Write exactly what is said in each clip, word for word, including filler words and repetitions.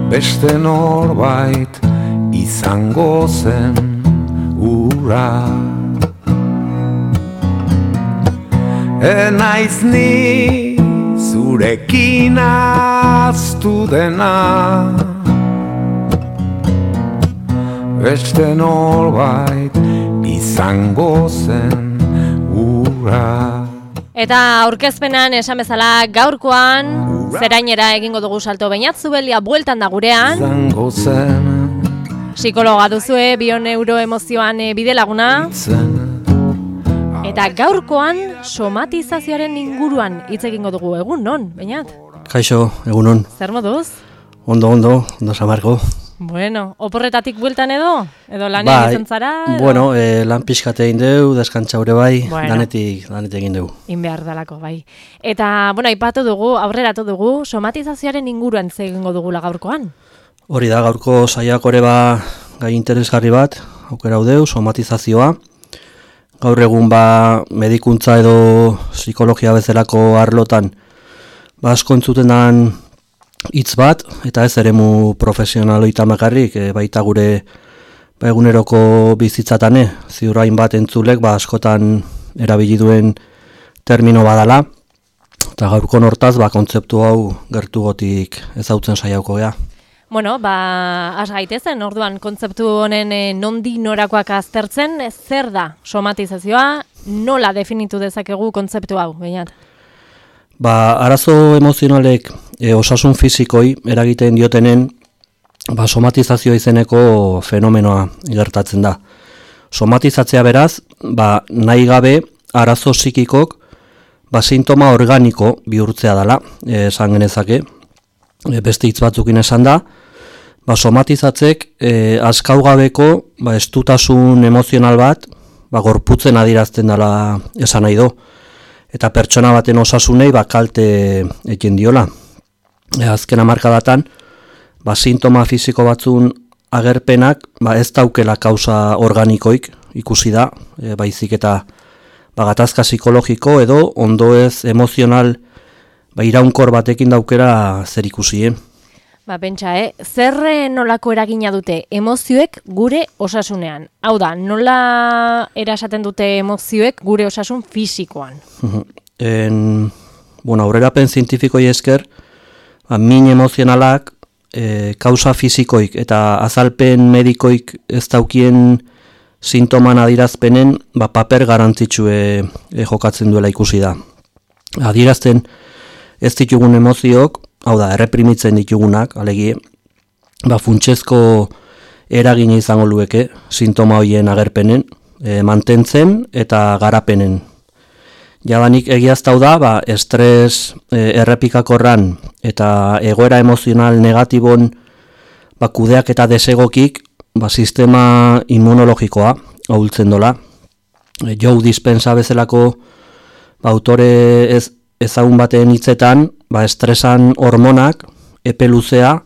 beste norbait izango zen ura. Enaiz ni zurekin aztu dena, beste norbait izango zen ura. Eta aurkezpenan esan bezala gaurkoan zerainera egingo dugu salto. Beñat Zubelia bueltan da gurean. Izango zen Psikologa duzue, bioneuroemozioan bide laguna. Eta gaurkoan somatizazioaren inguruan hitz egingo dugu. Egun non, Beñat? Kaixo, egunon. Zer moduz? Ondo, ondo, ondo samargo. Bueno, oporretatik bueltan edo? Edo lanean bai, izan zara? Edo? Bueno, eh, lan pixkate egin deu, deskantzaure bai, bueno, danetik, danetik egin deu. In behar dalako, bai. Eta, bueno, aipatu dugu, aurreratu dugu, somatizazioaren inguruan ze egingo dugula gaurkoan? Hori da, gaurko saiak ore ba gai interesgarri bat, aukera hau deu, somatizazioa. Gaur egun ba medikuntza edo psikologia bezalako arlotan ba asko entzuten dan hitz bat, eta ez eremu profesionaloita makarrik, e, baita gure ba, eguneroko bizitzatane, ziurrain bat entzulek ba askotan erabili duen termino badala, eta gaurko hortaz ba kontzeptu hau gertugotik ezautzen saiatuko gea. Bueno, ba, has gaitezen, orduan kontzeptu honen e, nondi norakoak aztertzen, zer da somatizazioa, nola definitu dezakegu kontzeptu hau, Beñat? Ba, arazo emozionalek e, osasun fizikoi eragiten diotenen ba, somatizazioa izeneko fenomenoa gertatzen da. Somatizatzea beraz, ba, nahi gabe arazo psikikok ba, sintoma organiko bihurtzea dela, e, esan genezake. E, beste hitz batzukin esan da, ba, somatizatzek e, askaugabeko ba, estutasun emozional bat ba, gorputzen adirazten dela esan nahi do. Eta pertsona baten osasunei ba, kalte egin diola. E, azken hamarkadatan, ba, sintoma fisiko batzun agerpenak ba, ez daukela kausa organikoik ikusi da, e, baizik eta ba, gatazka psikologiko edo ondoez emozional ba, iraunkor batekin daukera zer ikusi. Eh? Ba, pentsa, eh? Zer nolako eragina dute emozioek gure osasunean? Hau da, nola erasaten dute emozioek gure osasun fisikoan? En, bueno, aurrerapen zientifikoi esker, ba, min emozionalak e, kausa fisikoik eta azalpen medikoik ez daukien sintoman adirazpenen ba, paper garantzitsue e, jokatzen duela ikusi da. Adirazten ez ditugun emozioak, hau da, erreprimitzen ditugunak, alegie, ba, funtsezko eragina izango lueke sintoma hoien agerpenen, e, mantentzen eta garapenen. Jadanik egiaztau da, ba, estres e, errepikakorran eta egoera emozional negatibon ba, kudeak eta desegokik ba, sistema immunologikoa ahultzen dola. E, Joe Dispenza bezalako ba, autore ez ezagun baten hitzetan, ba, estresan hormonak, epe luzea,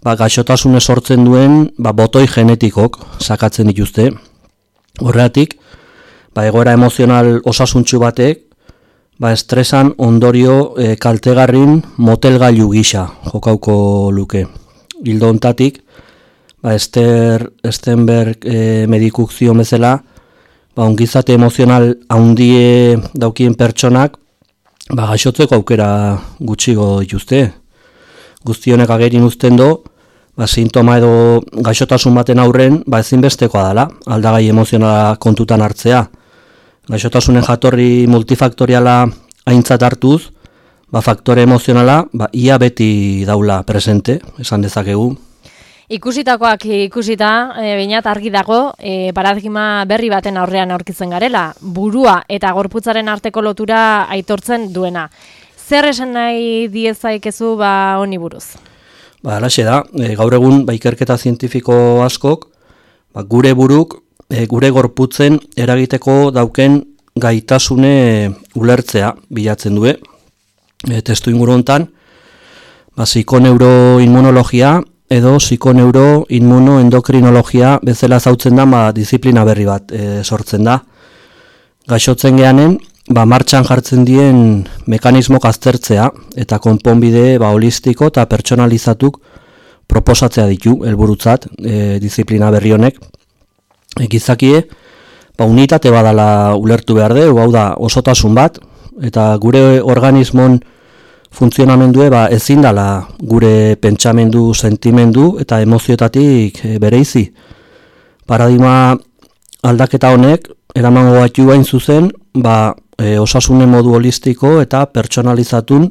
ba, gaixotasune sortzen duen ba, botoi genetikok sakatzen dituzte. Horregatik, ba, egoera emozional osasuntsu batek, ba, estresan ondorio e, kaltegarrin motelgailu gisa jokauko luke. Hildo hontatik, ba, Esther Stenberg e, medikuk zion bezala, ba, ongizate emozional handie daukien pertsonak, ba, gaixotzeko aukera gutxigo dituzte. Guzti honek agerin uzten do, ba, sintoma edo gaixotasun baten aurren ba, ezinbestekoa dela, aldagai emozionala kontutan hartzea. Gaixotasunen jatorri multifaktoriala aintzat hartuz, ba, faktore emozionala ba, ia beti daula presente, esan dezakegu. Ikusitakoak ikusita, e, Beñat argi dago, e, paradigma berri baten aurrean aurkitzen garela, burua eta gorputzaren arteko lotura aitortzen duena. Zer esan nahi diezaikezu ba honi buruz? Ba, alaxe da, e, gaur egun ba, ikerketa zientifiko askok, ba, gure buruk, e, gure gorputzen eragiteko dauken gaitasune ulertzea bilatzen du. E, testu inguru hontan, ba, psikoneuroinmunologia edo psikoneuroinmunoendokrinologia bezala zautzen da ba, disiplina berri bat e, sortzen da. Gaixotzen geanen, ba, martxan jartzen dien mekanismok aztertzea eta konponbide ba, holistiko eta pertsonalizatuk proposatzea ditu helburutzat e, disiplina berri honek. E, gizakie, ba, unitate badala ulertu behar du, hau da osotasun bat, eta gure organismon funtzionamendue ba, ezin dala gure pentsamendu, sentimendu eta emozioetatik e, bereizi. Paradigma aldaketa honek eramango batu bain zuzen, ba, e, osasunen modu holistiko eta pertsonalizatun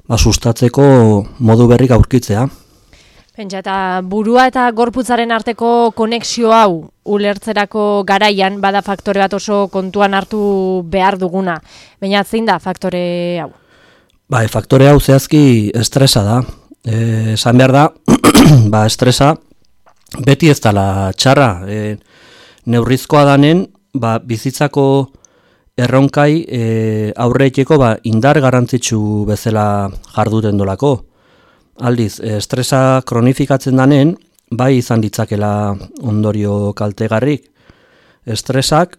ba, sustatzeko modu berrik aurkitzea. Pentsa, eta burua eta gorputzaren arteko konexio hau ulertzerako garaian bada faktore bat oso kontuan hartu behar duguna. Baina zein da faktore hau? Ba, e, faktore hau zehazki estresa da. E, esan behar da, ba, estresa beti ez dala txarra. E, neurrizkoa danen, ba, bizitzako erronkai e, aurreiteko ba, indar garrantzitsu bezala jarduten dolako. Aldiz, estresa kronifikatzen danen, bai izan ditzakela ondorio kaltegarrik. Estresak,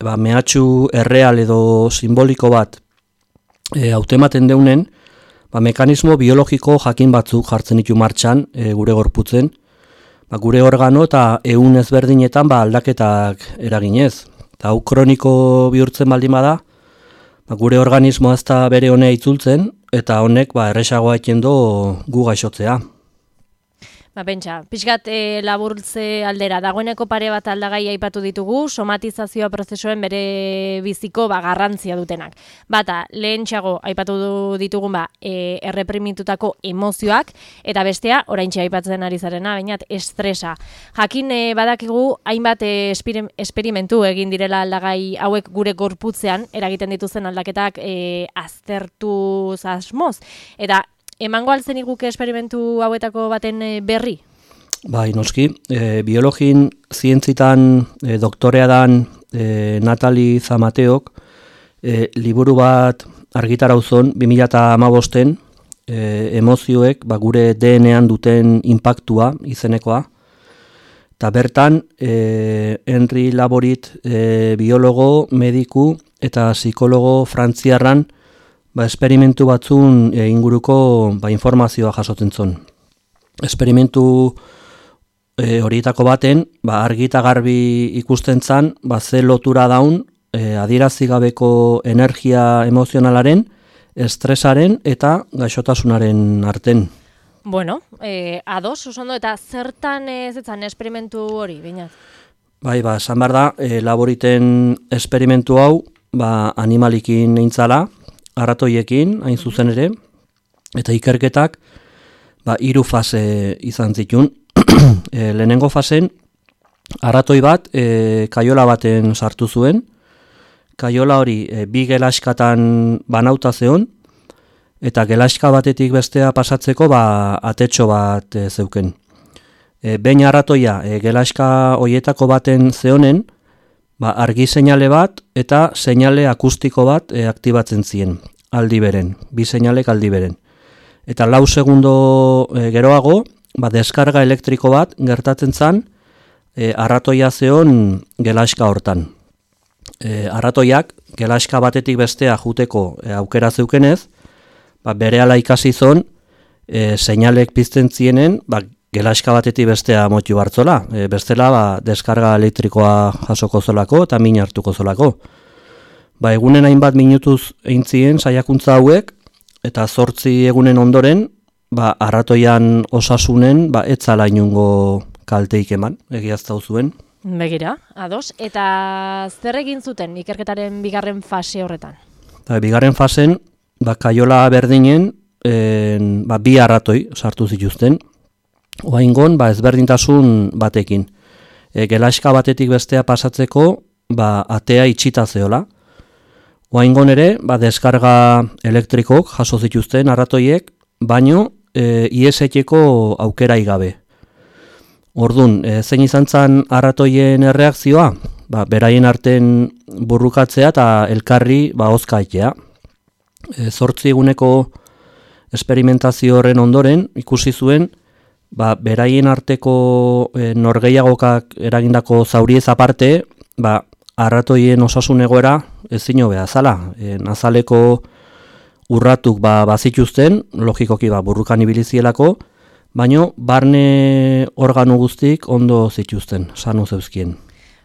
ba, mehatxu erreal edo simboliko bat e, hautematen deunen, ba, mekanismo biologiko jakin batzuk jartzen ditu martxan e, gure gorputzen, ba, gure organo eta ehun ezberdinetan ba, aldaketak eraginez. Eta hau kroniko bihurtzen baldin bada, ba, gure organismoa ez da bere honea itzultzen, eta honek ba, erresagoa ekendo gu gaixotzea. Ba, pentsa, pixkat e, laburtze aldera, dagoeneko pare bat aldagai aipatu ditugu, somatizazioa prozesuen bere biziko ba, garrantzia dutenak. Bata, lehentxeago aipatu ditugun ba, e, erreprimitutako emozioak, eta bestea, oraintxe aipatzen ari zarena, bainat, estresa. Jakin e, badakigu, hainbat e, esperimentu egin direla aldagai hauek gure gorputzean, eragiten dituzen aldaketak e, aztertuz asmoz, eta emango altzen iguke esperimentu hauetako baten berri? Bai, noski. E, biologin zientzitan e, doktorea dan e, Natali Zamateok e, liburu bat argitarauzon bi mila hamabosten e, emozioek ba, gure D N An duten inpaktua izenekoa. Eta bertan, e, Henry Laborit e, biologo, mediku eta psikologo frantziarran ba, esperimentu batzun e, inguruko ba, informazioa jasotzen zon. Esperimentu e, horietako baten, ba, argi eta garbi ikusten zan, ba, ze lotura daun e, adierazigabeko energia emozionalaren, estresaren eta gaixotasunaren arten. Bueno, e, ados, osondo, eta zertan ez etzan esperimentu hori, bainat? Bai, ba, esan behar da, e, Laboriten esperimentu hau ba, animalikin eintzala, arratoiekin, hain zuzen ere, eta ikerketak ba, hiru fase izan zitun. e, lehenengo fasen, arratoi bat e, kaiola baten sartu zuen, kaiola hori e, bi gelaskatan banauta zeon, eta gelaska batetik bestea pasatzeko ba, atetxo bat e, zeuken. E, behin arratoia e, gelaska hoietako baten zeonen, ba, argi seinale bat eta seinale akustiko bat e, aktibatzen zien, aldi beren, bi seinalek aldi beren. Eta lau segundo e, geroago, ba, deskarga elektriko bat gertatzen zan e, arratoia zeon gelaska hortan. E, arratoiak gelaska batetik bestea juteko e, aukera zeukenez, ba, berehala ikasi zon e, seinalek pizten zienen, ba, gelaska batetik bestea motu hartzola, e, bestela ba, deskarga elektrikoa jasoko zolako eta min hartuko zolako. Ba, egunen hainbat minutuz eintzien saiakuntza hauek, eta zortzi egunen ondoren, ba, arratoian osasunen ba, etzala inungo kalteik eman, egiaztau zuen. Begira, ados, eta zer egin zuten ikerketaren bigarren fase horretan? Ba, bigarren fasen, ba, kaiola berdinen, en, ba, bi arratoi sartu zituzten, oaingon, ba, ezberdintasun batekin. E, gelaska batetik bestea pasatzeko, ba, atea itxita zeola. Oaingon ere, ba, deskarga elektrikok jaso zituzten arratoiek, baino e, ieseteko aukerai gabe. Ordun, e, zein izan zen arratoien erreakzioa? Ba, beraien arten burrukatzea eta elkarri ba, ozkaitea. E, zortzi eguneko esperimentazio horren ondoren ikusi zuen, ba, beraien arteko e, norgeiagokak eragindako zauriez aparte, ba, arratoien osasun egoera ezin hobea zala. E, nazaleko urratuk ba, bazituzten, logikoki ba, burrukan ibilizielako, baino barne organo guztik ondo zituzten, sanu zeuzkien.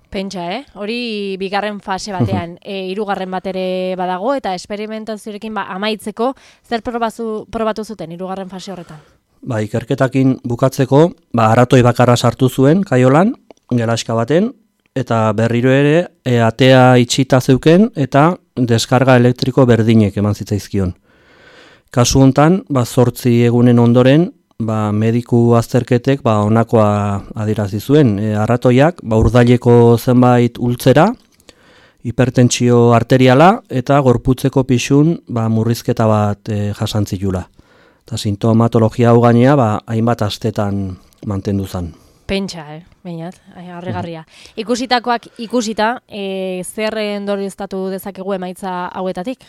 Pentsa, eh? Hori bigarren fase batean, e, hirugarren bat ere badago, eta esperimentazioarekin ba, amaitzeko, zer probazu, probatu zuten hirugarren fase horretan? Ba, ikerketakin bukatzeko, ba, aratoi bakarra sartu zuen, kaiolan, gelaska baten, eta berriro ere, e, atea itxita zeuken, eta deskarga elektriko berdinek eman zitzaizkion. Kasu hontan, ba, zortzi egunen ondoren, ba, mediku azterketek ba, onakoa adierazi zuen. E, arratoiak ba, urdaileko zenbait ultzera, hipertentsio arteriala eta gorputzeko pixun ba, murrizketa bat e, jasantzilula. Eta sintomatologia hau gainea ba, hainbat astetan mantendu zen. Pentsa, eh? Bainat, harrigarria. Ikusitakoak ikusita, e, zer ondorioztatu dezakegu emaitza hauetatik?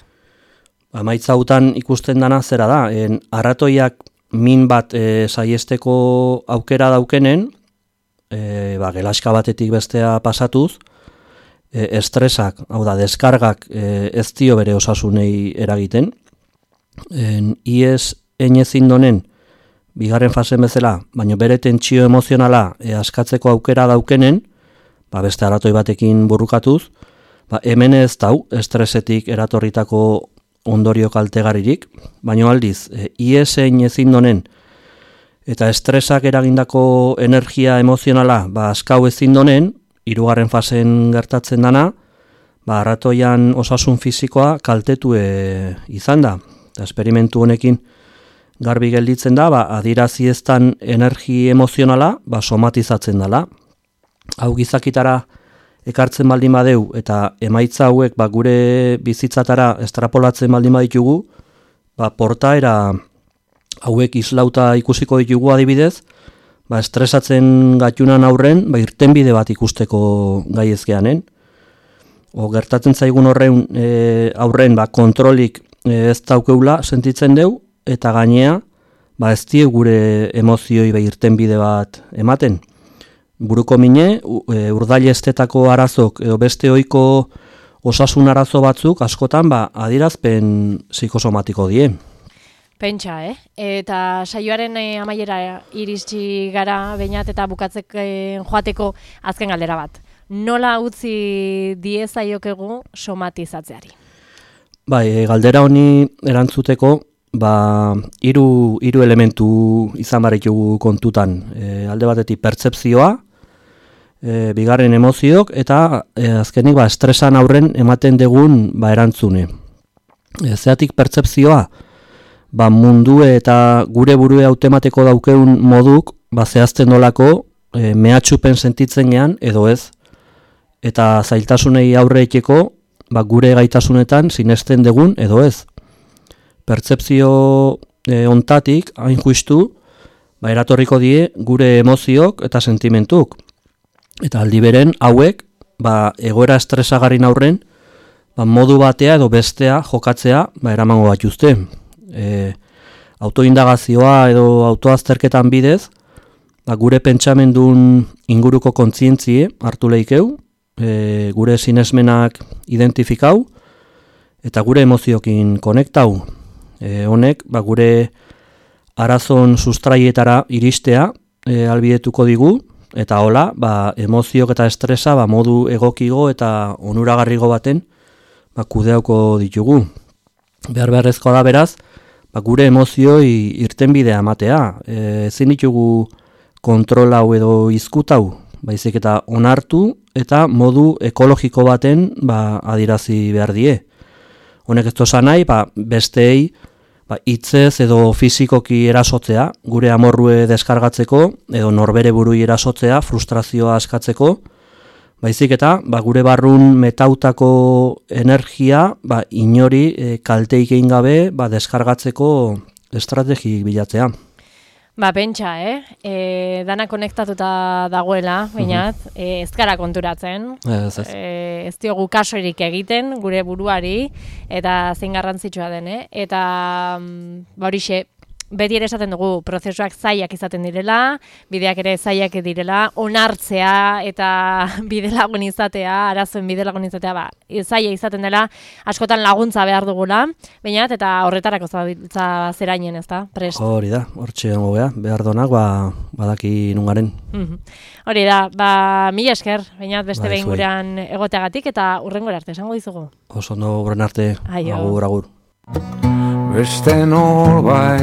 Emaitza hautan ikusten dana zera da, en, arratoiak min bat e, saiesteko aukera daukenen, e, ba, gelaska batetik bestea pasatuz, e, estresak, hau da, deskargak e, ez dio bere osasunei eragiten. En, iez enezin donen, bigarren fasen bezala, baina bere tentsio emozionala e, askatzeko aukera daukenen, ba, beste aratoi batekin burrukatuz, ba, hemen ez dau, estresetik eratorritako ondorio kaltegaririk, baino aldiz, e, iesein ezin donen eta estresak eragindako energia emozionala ba, askau ezin donen, hirugarren fasen gertatzen dana, ba, arratoian osasun fisikoa kaltetu e, izan da. Eta esperimentu honekin garbi gelditzen da, ba, adirazi eztan energi emozionala ba, somatizatzen dela. Hau gizakitara ekartzen baldin badeu eta emaitza hauek ba, gure bizitzatara estrapolatzen baldin baditugu, ba, portaera hauek islauta ikusiko ditugu adibidez, ba, estresatzen gatunan aurren ba, irtenbide bat ikusteko gai ezkeanen. O, gertatzen zaigun horren e, aurren ba, kontrolik e, ez daukeula sentitzen deu, eta gainea ba, ez die gure emozioi ba, irtenbide bat ematen. Buruko mine, urdaile estetako arazok edo beste ohiko osasun arazo batzuk askotan ba, adirazpen psikosomatiko die. Pentsa, eh? Eta saioaren eh, amaiera iritsi gara Beñat eta bukatzek eh, joateko azken galdera bat. Nola utzi diezaiokegu somatizatzeari? Bai, e, galdera honi erantzuteko ba, hiru hiru elementu izan baritugu kontutan. E, alde batetik pertzepzioa, E, bigarren emoziok eta e, azkenik ba, estresan aurren ematen degun ba, erantzune. E, zeatik pertzepzioa, ba, mundue eta gure burue hautemateko daukeun moduk ba, zehazten dolako e, mehatxupen sentitzen gean edo ez. Eta zailtasunei aurre etxeko ba, gure gaitasunetan sinesten degun edo ez. Pertzepzio e, ontatik, hain justu, ba, eratorriko die gure emoziok eta sentimentuk. Eta aldi beren hauek ba, egoera estresagarrin aurren ba, modu batea edo bestea jokatzea ba, eramango bat juzte. E, autoindagazioa edo autoazterketan bidez ba, gure pentsamendun inguruko kontzientzie hartu lehikeu, e, gure sinesmenak identifikau eta gure emoziokin konektau. E, honek ba, gure arazon sustraietara iristea e, albidetuko digu, eta hola, ba, emoziok eta estresa ba, modu egokigo eta onuragarrigo baten ba, kudeauko ditugu. Behar beharrezkoa da beraz, ba, gure emozioi irtenbidea ematea. E, ezin ditugu kontrol hau edo izkutau, baizik eta onartu eta modu ekologiko baten ba, adirazi behar die. Honek ez toza nahi, ba, besteei ba, hitzez edo fizikoki erasotzea, gure amorrue deskargatzeko, edo norbere burui erasotzea, frustrazioa askatzeko, baizik eta ba, gure barrun metautako energia ba, inori e, kalteik egin gabe ba, deskargatzeko estrategi bilatzea. Ba, pentsa, eh? E, dana konektatuta dagoela, Beñat, uh -huh. e, ez gara konturatzen, ez, ez. E, ez diogu kasorik egiten gure buruari, eta zein garrantzitsua den, eh? Eta, ba horixe, beti ere esaten dugu prozesuak zailak izaten direla, bideak ere zailak direla, onartzea eta bidelagun izatea, arazoen bidelagun izatea, ba, zaila izaten dela, askotan laguntza behar dugula, bainat, eta horretarako zabiltza zerainen, ez da, prest. Hori da, hortxe gongo gea, behar donak, ba, badaki nungaren. Hori da, ba, mila esker, bainat beste Bai, behin zuei. gurean egoteagatik, eta urrengora arte, esango dizugu. Oso ondo horren arte, Aio. agur, agur. Beste norbait